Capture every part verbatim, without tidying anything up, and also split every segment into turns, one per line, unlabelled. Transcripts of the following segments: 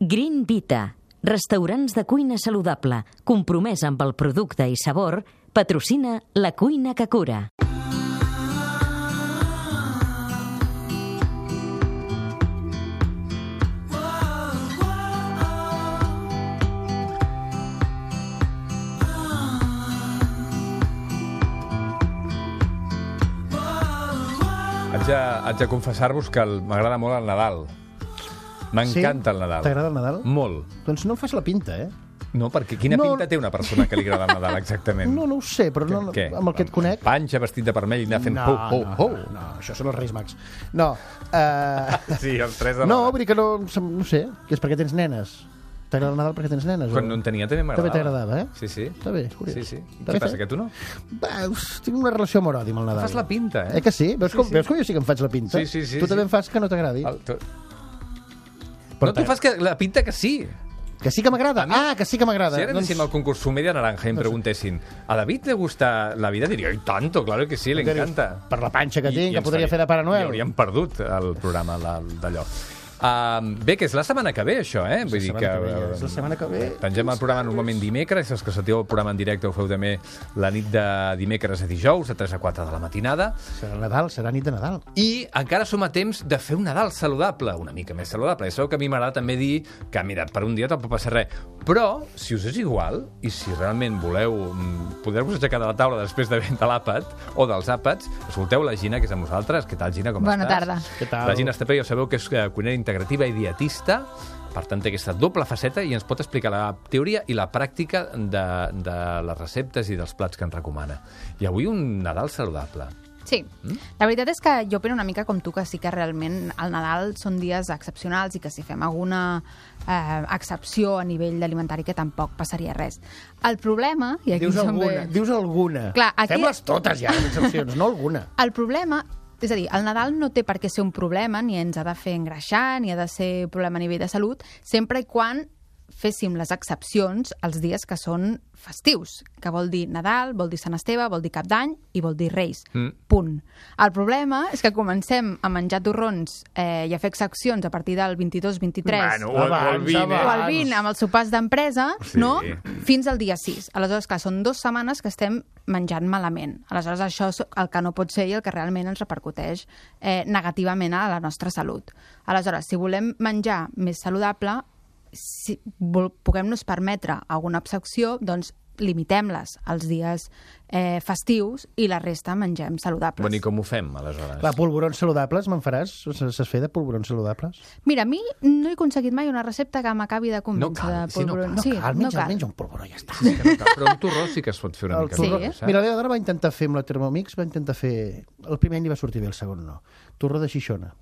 Green Vita, restaurants de cuina saludable, compromès amb el producte i sabor, patrocina La Cuina que Cura.
Haig de, haig de confessar-vos que el- m'agrada molt el Nadal. M'encanta el Nadal.
T'agrada el Nadal?
Molt.
Doncs no em fas la pinta, eh?
No, perquè quina
No.
pinta té una persona que li agrada el Nadal, exactament?
No, no ho sé, però no,
Què?
amb el que et conec...
Panxa, vestit de vermell i anar fent
no,
pou, pou,
no,
pou.
no, no, això són els Reis Mags. No, uh,
Sí, els tres de
no,
l'hora.
vull dir que no, no sé, que és perquè tens nenes. T'agrada el Nadal perquè tens nenes?
Quan
o?
no en tenia també m'agradava.
També t'agradava, eh?
Sí, sí.
Està bé, és curiós.
Sí, sí.
Està
Què
bé
passa,
fet.
que tu no?
Va, uf, tinc una relació amor-odi amb el Nadal.
Fas la pinta, eh?
Eh que sí? Veus,
Sí,
com,
sí.
veus com jo sí que em faig la pinta?
Sí, sí, sí,
Tu
sí.
també em fas que no t'agradi?
El, tu...
Però
No, tu fas que la pinta que sí.
Que sí que m'agrada?
A mi-
Ah, que sí que m'agrada.
Si ara anéssim al concurs Sumedia Naranja i em preguntessin ¿a David le gusta la vida? Diria, ¡ay, tanto! Claro que sí, le
Què dius?
encanta.
Per la panxa que
I-
tinc,
i
que
ens
podria
faria-
fer de Pare Noel.
I hauríem perdut el programa la- d'allò. Uh, bé, que és la setmana que ve, això, eh? Vull dir que...
setmana que ve, ja. És la setmana que ve.
Pengem el programa normalment dimecres, els que sentiu el programa en directe ho feu també la nit de dimecres a dijous, de tres a quatre de la matinada.
Serà Nadal, serà nit de Nadal.
I encara som a temps de fer un Nadal saludable, una mica més saludable. Ja sabeu que a mi m'agrada també dir que, mira, per un dia tampoc passa res. Però, si us és igual, i si realment voleu mm, poder-vos aixecar de la taula després de de l'àpat o dels àpats, escolteu la Gina, que és amb nosaltres. Què tal, Gina, com
Bona
estàs?
tarda.
Què tal?
La Gina Estapé, ja sabeu que és eh, cuinera integrativa i dietista, per tant té aquesta doble faceta i ens pot explicar la teoria i la pràctica de, de les receptes i dels plats que ens recomana. I avui un Nadal saludable.
Sí, la veritat és que jo opino una mica com tu, que sí que realment el Nadal són dies excepcionals i que si fem alguna eh, excepció a nivell alimentari que tampoc passaria res. El problema, i aquí
Dius
som
alguna,
bé...
dius alguna.
Clar, aquí-
Fem-les totes ja, les excepcions, no alguna.
El problema, és a dir, el Nadal no té per què ser un problema, ni ens ha de fer engreixar, ni ha de ser un problema a nivell de salut, sempre i quan féssim les excepcions els dies que són festius, que vol dir Nadal, vol dir Sant Esteve, vol dir Cap d'Any i vol dir Reis.
Mm.
Punt. El problema és que comencem a menjar torrons eh, i a fer excepcions a partir del vint-i-dos vint-i-tres
Bueno, o, el- o el
Abans,
vint,
o
abans.
el vint amb els sopars d'empresa,
Sí.
no? Fins al dia sis. Aleshores, clar, són dues setmanes que estem menjant malament. Aleshores, això és el que no pot ser i el que realment ens repercuteix eh, negativament a la nostra salut. Aleshores, si volem menjar més saludable, si vol, puguem-nos permetre alguna excepció, doncs limitem-les als dies eh, festius i la resta mengem saludables.
Bueno, i com ho fem, aleshores?
Clar, polvorons saludables, me'n faràs? Saps fer de polvorons saludables?
Mira, a mi no he aconseguit mai una recepta que m'acabi de convèncer
No cal,
de
sí, no
polvorons.
cal.
Sí,
No cal, menja,
no cal.
menja un polvoró, ja està.
Que no cal, però un torró sí que es pot fer una
El
mica
torró.
més.
Mira, l'Eva va intentar fer amb la Thermomix, va intentar fer... El primer any li va sortir bé, el segon no. Torró de xixona.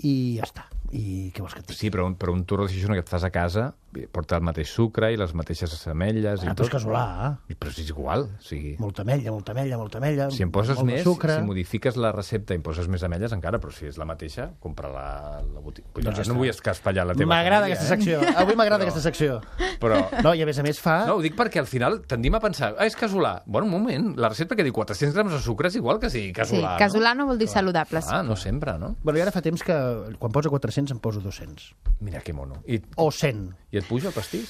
I ja està. I què vols que et digui?
Sí, però un, però un torró de xixona que et fas a casa porta el mateix sucre i les mateixes ametlles i
Ah, però
tot.
és casolà, eh?
I- Però si és igual, o sigui...
Molta ametlla, molta ametlla, molta ametlla.
Si em poses
molt de
més,
sucre.
si modifiques la recepta i em poses més ametlles encara, però si és la mateixa, compra la, la botiga. Vull dir,
Doncs ja
no
està.
vull escaspallar la teva
M'agrada
família,
aquesta secció. Avui m'agrada aquesta secció.
Eh? Però...
No, i a més a més fa...
No, ho dic perquè al final tendim a pensar, ah, és casolà. Bueno, un moment, la recepta que diu quatre-cents grams de sucre és igual que sigui
Sí,
casolà,
casolà no vol dir saludables.
Ah, no sempre, no?
Bueno, i ara fa temps que quan posa quatre-cents em poso dos-cents.
Mira que mono. I,
O cent.
i et puja el pastís?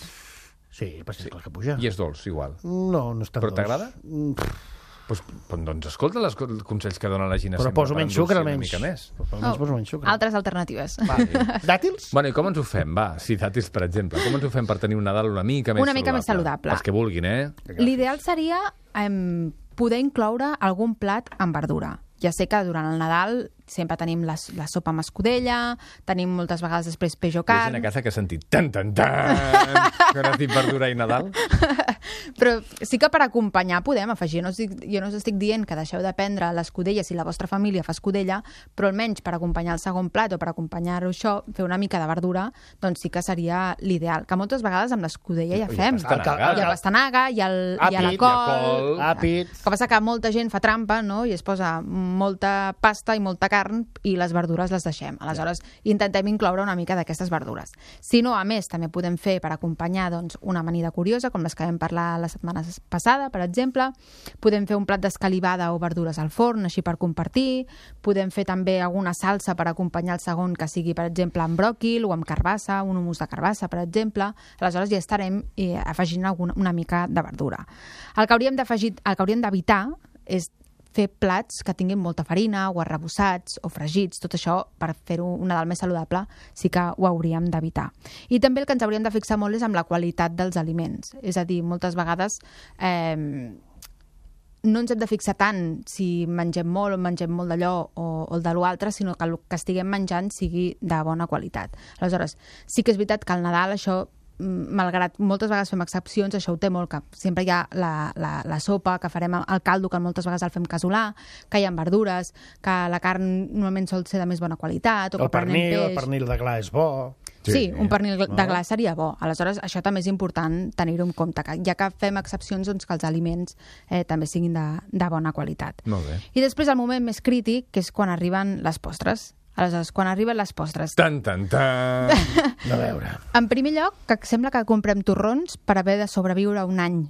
Sí, el pastís, clar que puja.
I és dolç, igual.
No, no és tan
Però
dolç.
t'agrada?
Mm, pff,
Pues, pues, doncs escolta les co- els consells que dona la Gina
Però
sempre
poso
per
menys
endolcir
sucre,
una
almenys.
mica més.
Almenys poso menys sucre.
Altres alternatives.
Vale. Dàtils?
Bueno, i com ens ho fem? Va, sí, dàtils, per exemple. Com ens ho fem per tenir un Nadal una mica més
Una
saludable?
mica més saludable.
Els que vulguin, eh?
L'ideal seria eh, poder incloure algun plat amb verdura. Ja sé que durant el Nadal sempre tenim la, la sopa amb escudella, tenim moltes vegades després peix o
Hi ha gent
carn,
a casa que ha sentit tan, tan, tan, quan has dit verdura i Nadal.
però sí que per acompanyar podem afegir. No us dic, jo no us estic dient que deixeu de prendre l'escudella si la vostra família fa escudella, però almenys per acompanyar el segon plat o per acompanyar-ho això, fer una mica de verdura, doncs sí que seria l'ideal. Que moltes vegades amb l'escudella ja
I
fem.
pastanaga.
Hi ha pastanaga, hi ha, el, hi ha la
Àpid, hi ha
col...
col.
Àpid.
El que passa que molta gent fa trampa, no?, i es posa molta pasta i molta carn i les verdures les deixem. Aleshores, intentem incloure una mica d'aquestes verdures. Si no, a més, també podem fer per acompanyar doncs, una amanida curiosa, com les que vam parlar la setmana passada, per exemple. Podem fer un plat d'escalivada o verdures al forn, així per compartir. Podem fer també alguna salsa per acompanyar el segon, que sigui, per exemple, amb bròquil o amb carbassa, un humus de carbassa, per exemple. Aleshores ja estarem eh, afegint alguna, una mica de verdura. El que hauríem d'afegir, el que hauríem d'evitar és fer plats que tinguin molta farina o arrebossats o fregits, tot això per fer-ho un Nadal més saludable sí que ho hauríem d'evitar. I també el que ens hauríem de fixar molt és amb la qualitat dels aliments. És a dir, moltes vegades eh, no ens hem de fixar tant si mengem molt o mengem molt d'allò o, o el de l'altre, sinó que el que estiguem menjant sigui de bona qualitat. Aleshores, sí que és veritat que al Nadal això, malgrat moltes vegades fem excepcions, això ho té molt, que sempre hi ha la, la, la sopa, que farem el caldo, que moltes vegades el fem casolà, que hi ha verdures, que la carn normalment sol ser de més bona qualitat, o
el
que prenem
pernil,
peix.
el pernil de gla és bo.
Sí, sí, un pernil
no?
de gla seria bo. Aleshores, això també és important tenir-ho en compte, que ja que fem excepcions, doncs que els aliments eh, també siguin de, de bona qualitat.
Molt bé.
I després el moment més crític, que és quan arriben les postres. Aleshores, quan arriben les postres...
Tan, tan, tan!
A veure.
En primer lloc, que sembla que comprem torrons per haver de sobreviure un any.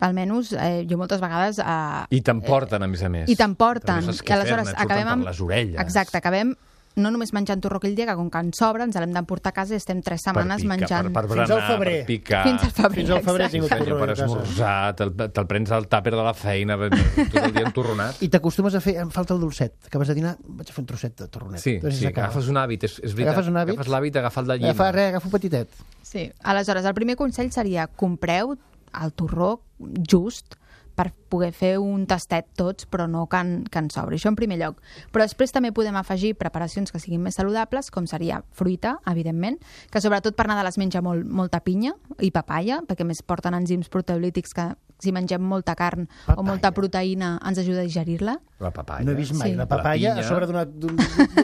Almenys, eh, jo moltes vegades... Eh,
I t'emporten, a més a més.
I t'emporten.
Però no saps
I
què
aleshores
fer-ne, et surten
acabem amb...
per les orelles.
Exacte, acabem no només menjant torró aquell dia, que com que ens sobra, ens l'hem d'emportar a casa i estem tres setmanes
picar,
menjant...
Per, per
Fins
berenar,
al febrer.
per picar.
Fins al febrer,
Fins al febrer he tingut
exacte.
Senyor,
torró
per
a casa.
esmorzar, te'l te'l prens al tàper de la feina, tot el dia entorronat.
I t'acostumes a fer... Em falta el dolcet. Acabes de dinar, vaig a fer un trosset de torronet.
Sí,
Després
sí,
s'acaba.
agafes un hàbit, és, és veritat.
Agafes un hàbit?
Agafes l'hàbit d'agafar el de llima.
Agafa, res, agafa un petitet.
Sí. Aleshores, el primer consell seria compreu el torró just per poder fer un tastet tots, però no que en, que en sobri. Això en primer lloc. Però després també podem afegir preparacions que siguin més saludables, com seria fruita, evidentment, que sobretot per Nadal es menja molt, molta pinya i papaya, perquè més porten enzims proteolítics que si mengem molta carn
Papaya.
o molta proteïna ens ajuda a digerir-la.
La papaya.
No he vist mai
Sí.
la papaya
La pinya.
a sobre d'una d'un-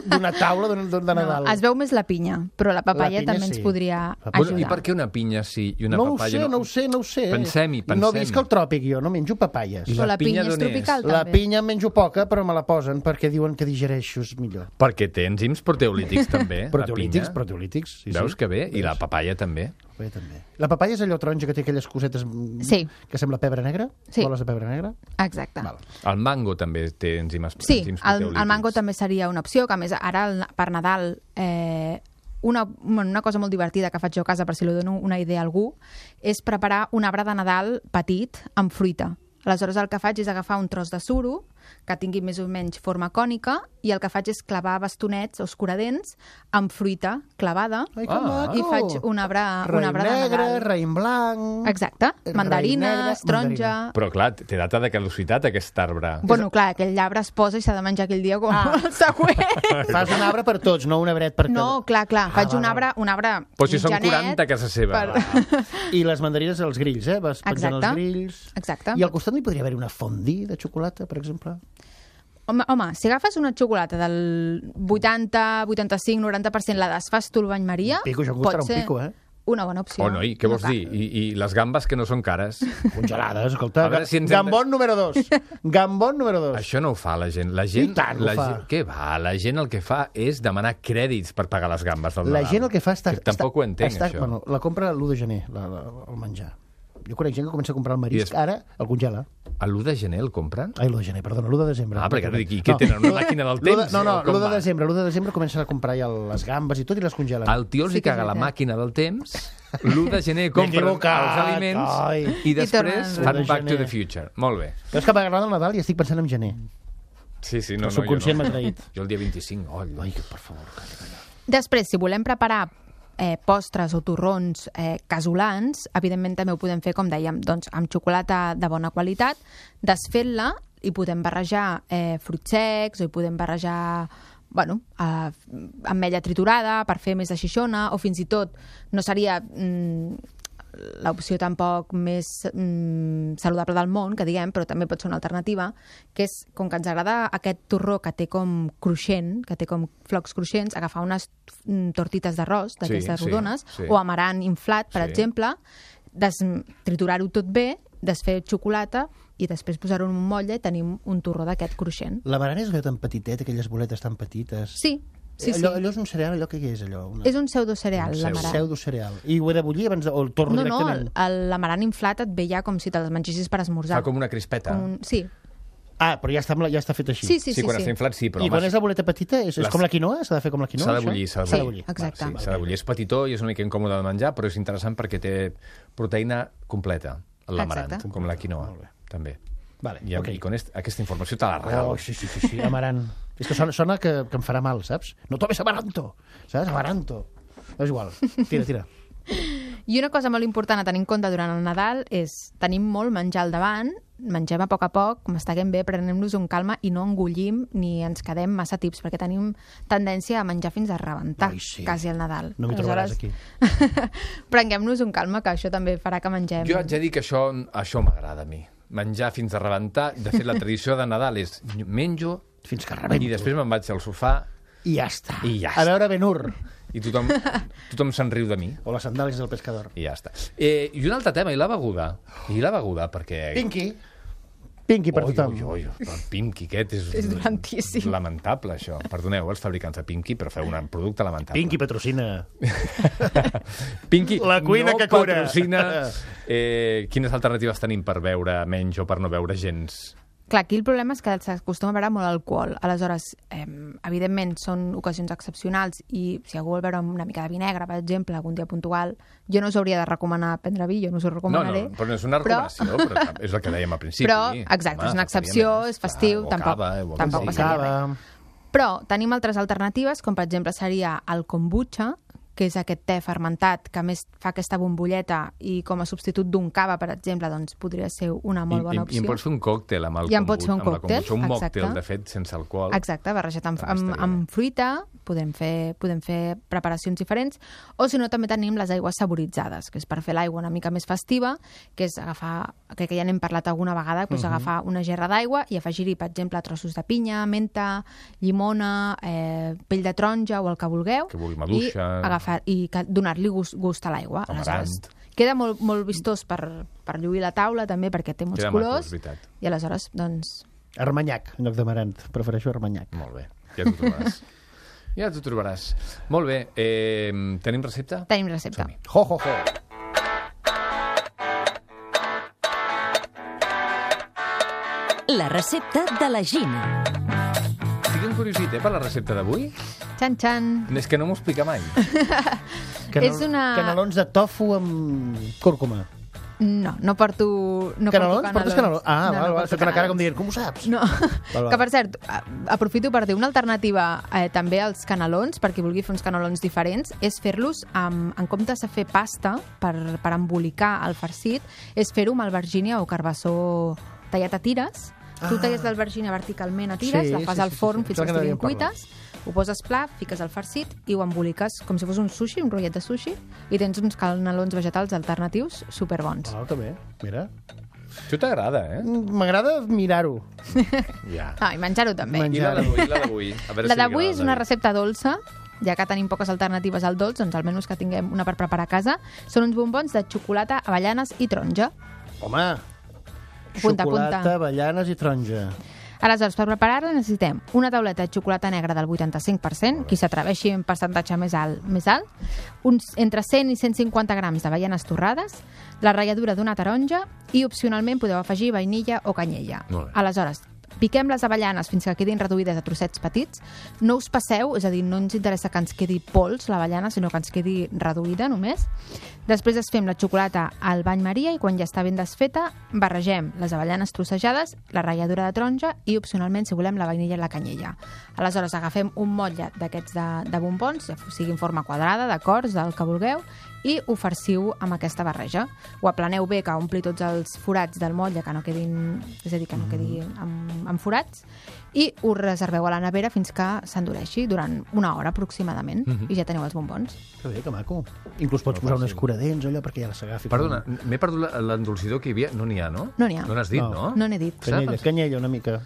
d'una taula d'un- d'un- de Nadal.
No, es veu més la pinya, però la papaya
La pinya
també
sí.
ens podria
La-
Bueno,
ajudar.
I per què una pinya sí i una
no ho
papaya
sé, no ho sé, no ho sé.
Pensem-hi, pensem-hi.
No visc al tròpic, jo, no menjo papayes.
I
Però la
pinya
pinya és
d'on és?
tropical,
La
també.
pinya en menjo poca, però me la posen perquè diuen que digereixo millor.
Perquè té enzims proteolítics també,
Proteolítics,
la pinya.
proteolítics. Sí,
Veus
sí.
que bé? I la
Veus?
papaya també.
La papaya també. La papaya és allò taronja que té aquelles cosetes mm,
Sí.
que sembla pebre negre?
Sí.
Boles de pebre negre?
Exacte.
Val.
El mango també té enzims,
Sí,
enzims
el,
proteolítics.
el mango també seria una opció, que a més ara el, per Nadal eh, una, bueno, una cosa molt divertida que faig jo a casa, per si li dono una idea a algú, és preparar un arbre de Nadal petit amb fruita. Aleshores el que faig és agafar un tros de suro que tingui més o menys forma cònica i el que faig és clavar bastonets o escuradents amb fruita clavada
Ai, que
Ah.
maco!
i faig un arbre, un
Raïm
arbre de
negre,
Nadal.
raïm blanc...
Exacte,
raïm
mandarines,
negre,
taronja...
Però clar, té data de caducitat aquest arbre.
Bueno, clar, aquell arbre es posa i s'ha de menjar aquell dia com ah. el següent.
Fas un arbre per tots, no un arbret per cada...
No, clar, clar,
Ah,
faig
val,
un arbre, un arbre
Però si són
mitjanet
quaranta a casa seva.
per-
va.
I les mandarines als grills, eh? Vas penjant
Exacte.
els grills...
Exacte.
I al costat no hi podria haver una fondue de xocolata, per exemple?
Home, home, si agafes una xocolata del vuitanta, vuitanta-cinc, noranta per cent la desfas tu al bany Maria,
Pico, això
pot
costarà un
ser
pico, eh?
una bona opció.
Oh, noi, què vols
No cal.
dir? I, I les gambes que no són cares?
Congelades, escolta.
A veure si ens hem de-
Gambon número dos. Gambon número dos.
Això no ho fa la gent. La gent,
I tant, ho
la
fa.
gent, què va? La gent el que fa és demanar crèdits per pagar les gambes del
La
Nadal.
gent el que fa està...
Que tampoc
està,
ho entenc,
està,
això.
Bueno, la compra l'u de gener, la, la, el menjar. Jo conec gent que comença a comprar el
I
marisc,
des-
ara el congela.
A l'u de gener el compren?
Ai, l'u de gener, perdona, l'u de desembre.
Ah, perquè ara dic, i què tenen, una màquina del
l'u de-
temps?
No, no,
O com
l'u de
va?
desembre, l'u de desembre comencen a comprar ja les gambes i tot i les congelen.
Al tio els
Sí
hi
que és
caga la
veritat.
màquina del temps, l'u de gener compren
equivocat,
els aliments
ai.
i després
tornen.
fan
l'u de
Back to
gener.
the Future. Molt bé.
Jo és que m'agrada el Nadal i estic pensant en gener.
Sí, sí, no,
El
no, jo
subconscient
no.
m'ha traït.
Jo el dia vint-i-cinc, oh,
Ai, que per favor, calla, calla.
Després, si volem preparar eh, postres o torrons eh, casolans, evidentment també ho podem fer, com dèiem, doncs, amb xocolata de bona qualitat, desfent-la i podem barrejar eh, fruits secs o hi podem barrejar bueno, eh, ametlla triturada per fer més de xixona o fins i tot no seria mm, l'opció tampoc més mm, saludable del món, que diguem, però també pot ser una alternativa, que és, com que ens agrada aquest torró que té com cruixent, que té com flocs cruixents, agafar unes mm, tortites d'arròs, d'aquestes
sí,
rodones,
sí.
o amarant inflat, per
Sí.
exemple, des, triturar-ho tot bé, desfer xocolata i després posar-ho en un motlle i tenim un torró d'aquest cruixent.
La barana és allò tan petitet, aquelles boletes tan petites.
Sí, Sí, sí.
Allò, allò és un cereal, allò que és allò? Una...
És un pseudocereal,
Un
l'amaranth.
Pseudocereal. I ho he de bullir abans de... o el torno
No, no,
directament?
el- l'amaranth inflat et ve ja com si te'ls mengessis per esmorzar.
Fa com una crispeta.
Com un... Sí.
Ah, però ja està, amb la- ja està fet així.
Sí, sí, sí.
Sí, quan
sí.
està inflat, sí, però...
I
home,
quan és la boleta petita, és, és
Les-
com la quinoa? S'ha de fer com la quinoa?
S'ha de
això?
bullir, s'ha de
S'ha de
bullir.
bullir.
Exacte.
Sí, s'ha de bullir. És petitó i és una mica incòmode de menjar, però és interessant perquè té proteïna completa, l'amaranth,
Exacte.
com la quinoa,
Molt bé.
també.
Vale,
I,
ok.
i con est, aquesta informació te la regalo.
Oh, sí, sí, sí, sí, amaranth. És que sona, sona que, que em farà mal, saps? No tomes amaranto, saps? Amaranto. És igual. Tira, tira.
I una cosa molt important a tenir en compte durant el Nadal és tenim molt menjar al davant, mengem a poc a poc, masteguem bé, prenem-nos un calma i no engullim ni ens quedem massa tips, perquè tenim tendència a menjar fins a rebentar,
Ai, sí.
quasi al Nadal.
No m'hi trobaràs aquí.
Prenguem-nos un calma, que això també farà que mengem...
Jo haig de dir que això, això m'agrada a mi. Menjar fins a rebentar. De fet, la tradició de Nadal és menjo
Fins que rebento.
i després me'n vaig al sofà
I ja està.
I ja
A veure Ben-Hur.
i tothom, tothom se'n riu de mi.
O les sandàlies del pescador.
I ja està. Eh, I un altre tema, i la beguda? I la beguda, perquè...
Pinky. Pinky per
Oi,
tothom.
oi, oi, el Pinky aquest és...
És dolentíssim.
Lamentable, això. Perdoneu, els fabricants de Pinky, però feu un producte lamentable.
Pinky patrocina.
Pinky
La cuina
no
que cura.
patrocina... Eh, quines alternatives tenim per beure menys o per no beure gens?
Clar, aquí el problema és que s'acostuma a beure molt alcohol. Aleshores, eh, evidentment, són ocasions excepcionals i si algú vol beure una mica de vi negre, per exemple, algun dia puntual, jo no us hauria de recomanar prendre vi, jo no us ho
No,
recomanaré.
no, però no és una
però-
recomanació, però, però és el que dèiem al principi.
Però, exacte, és una excepció, és festiu,
o
tampoc-
cava, o
tampoc
sí.
passaria
Cava.
Però tenim altres alternatives, com per exemple seria el kombucha, que és aquest te fermentat que a més fa aquesta bombolleta i com a substitut d'un cava, per exemple, doncs podria ser una molt bona
I,
opció.
I, I em pots fer un còctel amb el
I em pots fer un
kombu- amb la
còctel,
kombucha, un
exacte.
mòctel, de fet, sense alcohol.
Exacte, barrejat amb,
També
amb,
estaria
amb
bé.
fruita, podem fer, podem fer preparacions diferents, o si no també tenim les aigües saboritzades, que és per fer l'aigua una mica més festiva, que és agafar, crec que ja n'hem parlat alguna vegada, doncs
Mhm.
agafar una gerra d'aigua i afegir-hi, per exemple, trossos de pinya, menta, llimona, eh, pell de taronja o el que vulgueu,
Que vulgui maduixa.
i, agafar, i que- donar-li gust, gust a l'aigua.
Amaranth.
Aleshores, queda molt, molt vistós per, per lluir la taula, també, perquè té molts
Queda maco,
colors,
és veritat.
i aleshores, doncs,
Armanyac, en lloc d'amaranth. Prefereixo armanyac.
Molt bé, ja t'ho trobaràs. ja t'ho trobaràs. Molt bé, eh, tenim recepta?
tenim recepta.
Som-hi.
Ho, ho, ho.
La recepta de la Gina.
Estic encuriosit, eh, per la recepta d'avui.
Txan, txan.
És que no m'ho explica mai.
Canel,
És una-
Canelons de tofu amb cúrcuma.
No, no porto... No
Canelons?
porto
Portes canelons? Ah,
No,
val,
no
val.
porto
Fet una cara com
canelons.
dient, com ho saps?
No,
val.
que per cert, a- aprofito per dir una alternativa eh, també als canelons, per qui vulgui fer uns canelons diferents, és fer-los, amb, en comptes de fer pasta per, per embolicar el farcit, és fer-ho amb albergínia o carbassó tallat a tires. Tu
Ah.
talles l'albergínia verticalment a tires,
Sí,
la fas
sí,
al
sí, sí,
forn
sí.
fins
Això
que
que
estiguin
n'havíem parlat.
cuites, ho poses pla, fiques el farcit i ho emboliques com si fos un sushi, un rotllet de sushi, i tens uns canelons vegetals alternatius superbons.
Ah, que bé, mira.
Això t'agrada, eh?
M'agrada mirar-ho.
Ja.
Ah, i menjar-ho també.
Men-
I la d'avui, i la d'avui? A veure
La
si li
d'avui
agrada
és una
David.
recepta dolça, ja que tenim poques alternatives al dolç, doncs almenys que tinguem una per preparar a casa. Són uns bombons de xocolata, avellanes i taronja.
Home,
Apunta,
xocolata,
apunta.
avellanes i taronja.
Aleshores, per preparar-la necessitem una tauleta de xocolata negra del vuitanta-cinc per cent, qui s'atreveixi en percentatge més alt, més alt, uns entre cent i cent cinquanta grams d'avellanes torrades, la ratlladura d'una taronja i, opcionalment, podeu afegir vainilla o canyella.
Molt bé.
Aleshores, piquem les avellanes fins que quedin reduïdes a trossets petits. No us passeu, és a dir, no ens interessa que ens quedi pols l'avellana, sinó que ens quedi reduïda només. Després es fem la xocolata al bany maria i quan ja està ben desfeta, barregem les avellanes trossejades, la ratlladura de taronja i, opcionalment, si volem, la vainilla i la canyella. Aleshores, agafem un motlle d'aquests de, de bombons, ja sigui en forma quadrada, de cors, del que vulgueu, i ho farciu amb aquesta barreja. Ho aplaneu bé, que ompli tots els forats del motlle, que no quedin, és a dir, que no quedi amb, amb forats, i ho reserveu a la nevera fins que s'endureixi durant una hora aproximadament, i ja teniu els bombons.
Que bé, que maco. Inclús pots posar un escuradents, allò, perquè ja s'agafi.
Perdona, m'he perdut la- l'endolcidor que hi havia. No n'hi ha, no?
No n'hi ha.
No n'has dit,
No.
no?
No n'he dit.
Canyella, canyella una mica.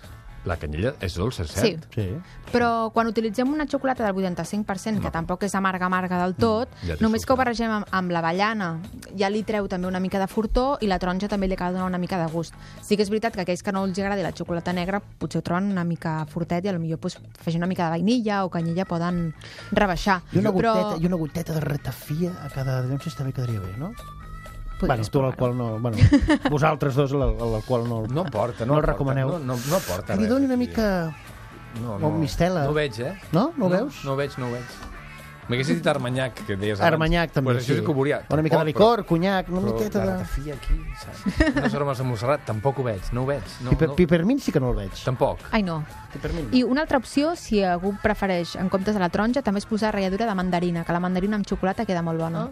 La canyella és dolça, és
Sí.
cert?
Sí.
Però quan utilitzem una xocolata del vuitanta-cinc per cent, que tampoc és amarga-amarga del tot,
ja té
només que ho
sucre.
barregem amb, amb l'avellana, ja li treu també una mica de fortor i la taronja també li acaba de donar una mica de gust. Sí que és veritat que aquells que no els agradi la xocolata negra potser ho troben una mica fortet i potser pues, afegir una mica de vainilla o canyella poden rebaixar.
I una
Però...
goteta, i una goteta de ratafia a cada denúncia també quedaria bé, no?
Podries
Bueno, tu
provar-ho.
l'alcohol no... Bueno, vosaltres dos l'al- l'alcohol no...
No porta,
no
no,
el recomaneu.
No, no, no porta
Que li
res.
doni una
aquí.
mica...
No,
o mistela.
No ho veig, eh?
No? No ho veus?
No ho veig, no ho veig. M'haguessis dit armanyac, que deies abans.
Armanyac també,
pues això sí que ho veuria.
Una mica de
Tampoc,
licor, conyac, una
però,
miqueta
però
de...
la ratafia aquí, saps? Unes aromes de Montserrat, tampoc ho veig, no ho veig. No,
Piper,
no,
Pipermint sí que no el veig.
tampoc.
Ai, no.
Pipermint.
I una altra opció, si algú prefereix, en comptes de la taronja, també és posar ratlladura de mandarina, que la mandarina amb xocolata queda molt bona.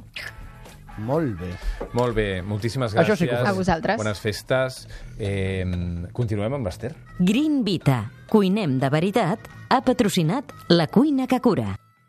Molt bé.
Molt bé, moltíssimes gràcies.
Això sí que ho
fem. A vosaltres.
Bones festes. Eh, continuem amb l'Ester.
Green Vita. Cuinem de veritat. Ha patrocinat La Cuina que Cura.